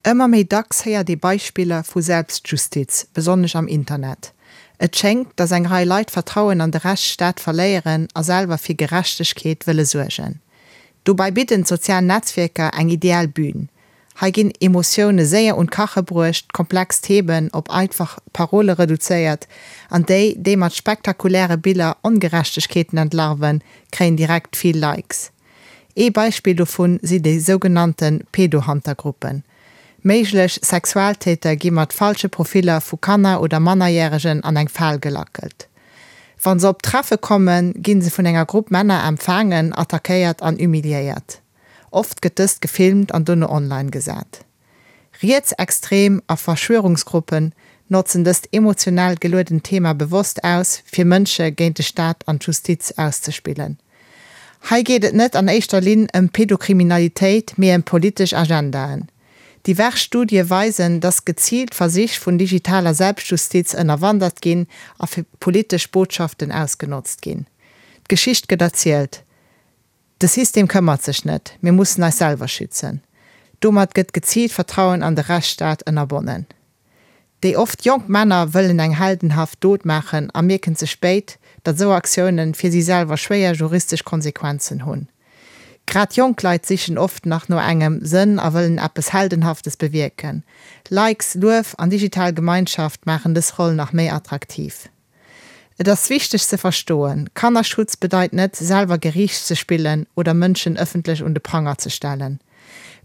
Ëmmer méi dacks héiert ee Beispiller vu Selbstjustiz, besonnesch am Internet. Et schéngt, datt eng Rei Leit d'Vertrauen an de Rechtsstaat verléieren a selwer fir Gerechtegkeet wëlle suergen. Dobäi bidden d'sozial Netzwierker eng ideal Bün. Hei ginn Emotioune séier un d'Kache bruecht, komplex Themen op einfach Parole reduzéiert an déi, déi mat spektakuläre Biller Ongerechtegkeeten entlarven, kréien direkt vill Likes. Ee Beispill dovun si déi sougenannte Pedo-Hunter-Gruppen. Méiglech Sexualtäter gi mat falsche Profiller vu Kanner oder Mannerjäregen an eng Fal gelackelt. Wa se op d'Treffe kommen, gi se vun enger Grupp Männer empfaangen, attackéiert an humiliéiert. Oft gëtt dëst gefilmt an dono online gesat. Rietsextrem a Verschwörungsgruppen notzen dëst emotionell geluedent Thema bewosst aus, fir Mënsche géint de Staat an d'Justiz auszespillen. Hei geet et net an éischter Linn ëm Pedokriminalitéit, mee ëm politesch Agendaen. Divers Studie weisen, dass geziilt Versich vun digitaler Selbstjustiz ënnerwandert ginn a fir politesch Botschaften ausgenotzt ginn. D'Geschicht gëtt erzielt. De System këmmert sech net, mir mussen eis selwer schützen. Domat gëtt geziilt d'Vertrauen an de Rechtsstaat ënnerbonnen. Déi oft jonk Männer wëllen eng heldenhaft Dot maachen a mierken ze spéit, datt esou Aktiounen fir si selwer schwéier juristesch Konsequenzen hunn. Grad jonk Leit sichen oft nach no engem Sënn a wëllen eppes Heldenhaftes bewierken. Likes, Luef an digital Gemeinschaft maachen dës Roll nach méi attraktiv. Et ass wichteg ze verstoen, Kannerschutz bedeit net, selwer Geriicht ze spillen oder Mënschen ëffentlech un de Pranger ze stellen.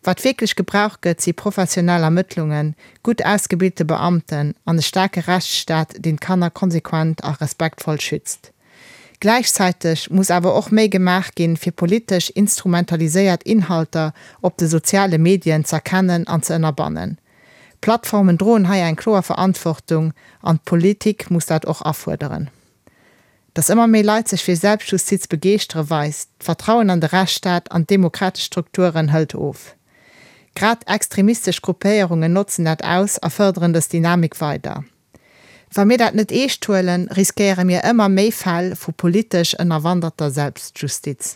Wat wierklech gebraucht gëtt, si professionell Ermëttlungen, gutt ausgebilte Beamten an e staarke Rechtsstaat, deen d'Kanner konsequent a respektvoll schützt. Gläichzäiteg muss awer och méi gemaach ginn, fir politesch instrumentaliséiert Inhalter op de soziale Medien z'erkennen an ze ënnerbannen. D'Plattformen droen hei eng kloer Verantwortung an d'Politik muss dat och afuerderen. Datt ëmmer méi Leit sech fir Selbstjustiz begeeschtere weist, d'Vertrauen an de Rechtsstaat an d'demokratesch Strukturen hëlt of. Grad extremistesch Gruppéierungen notzen dat aus a fërderen dës Dynamik weider. Wa mir dat net eescht huelen, riskéiere mir ëmmer méi Fäll vu politesch ënnerwanderter Selbstjustiz.